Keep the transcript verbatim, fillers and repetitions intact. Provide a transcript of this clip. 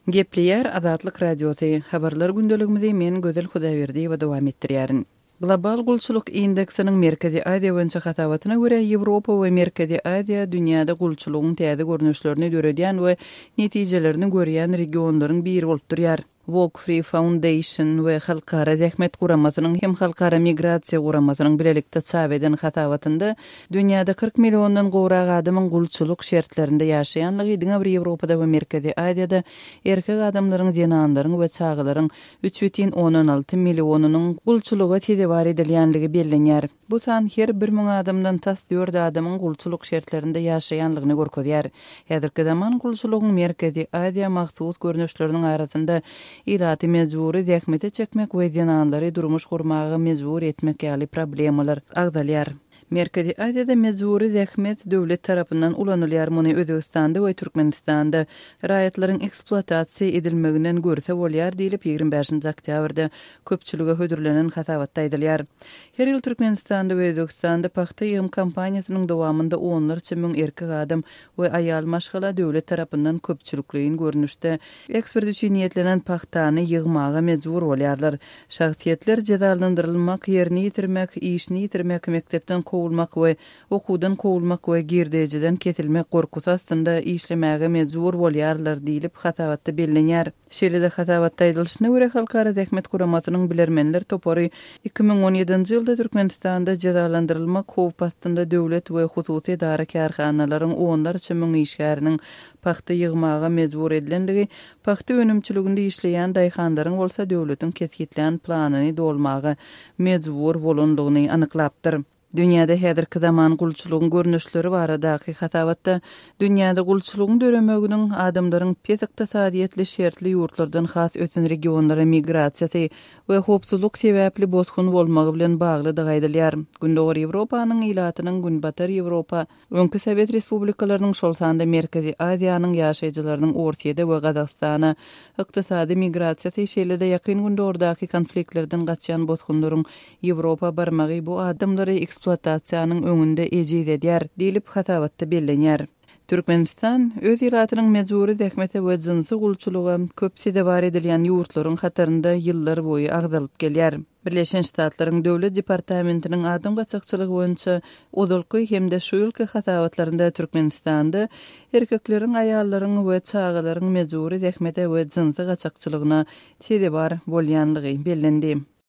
Gepleýär Azatlyk Radiosy, Habarlar gündeligimizi men Gözel Hudaýberdiýewa dowam etdirýärin. Global gulçulyk indeksiniň Merkezi Aziýa boýunça hasabatyna görä, Ýewropa we Merkezi Aziýa dünýäde gulçulygyň täze görnüşlerini döredýän we netijelerini görýän regionlaryň biri bolup durýar. Walk Free Foundation we Halkara Zähmet Guramasynyň hem Halkara Migrasiýa Guramasynyň bilelikde çap eden hasabatynda dünýäde kyrk milliondan gowrak adamyň gulçulyk şertlerinde ýaşaýanlygy, diňe bir Ýewropada we Merkezi Aziýada erkek adamlaryň, zenanlaryň we çagalaryň üç bütin ondan alty millionynyň gulçulyga sezewar edilýänligi bellenýär. Bu san her bir müň adamdan tas dört adamyň gulçulyk şertlerinde ýaşaýanlygyny görkezýär. Häzirki zaman gulçulygyň Merkezi Aziýa mahsus görnüşleriniň arasynda ilaty mejbury zähmete çekmek we zenanlary durmuş gurmaga mejbur etmek ýaly problemalar agzalýar. Merkezi Aziýada mejbury zähmet döwlet tarapyndan ulanylýar, muny Özbegistanda we Türkmenistanda raýatlaryň ekspluatasiýa edilmeginden görse bolýar diýlip, ýigrimi bäşinji oktýabrda köpçülige hödürlenen hasabatda aýdylýar. Her ýyl Türkmenistanda we Özbegistanda pagta ýygym kampaniýasynyň dowamynda onlarça müň erkek adam we aýal maşgala döwlet tarapyndan köpçülikleýin görnüşde eksport üçin niýetlenen pagtany ýygmaga mejbur bolýarlar. Şahsyýetler jezalandyrylmak, ýerini ýitirmek, işini ýitirmek, mekdepden kowulmak we okuwdan kowulmak we girdejiden kesilmek gorkusy astynda işlemäge mejbur bolýarlar diýlip hasabatda bellenýär. Şeýle-de hasabatda aýdylyşyna görä, Halkara Zähmet Guramasynyň bilermenler topary iki müň on ýedinji ýylda Türkmenistanda jezalandyrylmak howp astynda döwlet we hususy edara-kärhanalaryň onlarça müň işgäriniň pagta ýygmaga mejbur edilendigi, pagta önümçiliginde işleýän daýhanlaryň bolsa döwletiň kesgitlän planyny dolmaga mejbur bolandygyny anyklapdyr. Dünýäde häzirki zaman gulçulygyň görnüşleri baradaky hasabatda dünýäde gulçulygyň döremeginiň adamlaryň pes ykdysadyýetli şertli ýurtlardan has ösen regionlara migrasiýasy we howpsuzlyk sebäpli bosgun bolmagy bilen baglydygy aýdylýar. Gündogar Ýewropanyň ilatynyň Günbatar Ýewropa, öňki Sowet Respublikalarynyň, şol sanda Merkezi Aziýanyň ýaşaýjylarynyň Orsýede we Gazagystana ykdysady migrasiýasy, şeýle-de Ýakyn Gündogardaky konfliktlerden gaçýan bosgunlaryň Ýewropa barmagy bu adamlary ekspluatasiýanyň öňünde ejiz edýär diýlip hasabatda bellenýär. Türkmenistan öz ilatynyň mejbury zähmete we jynsy gulçulyga köp sezewar edilýän ýurtlaryň hatarynda ýyllar boýy agzalyp gelýär. Birleşen Ştatlaryň Döwlet Departamentiniň adam gaçakçylygy boýunça ozalky hem-de şu ýylky hasabatlarynda Türkmenistanda erkekleriň, aýallaryň we çagalaryň mejbury zähmete we jynsy gaçakçylygyna sezewar bolýanlygy bellendi.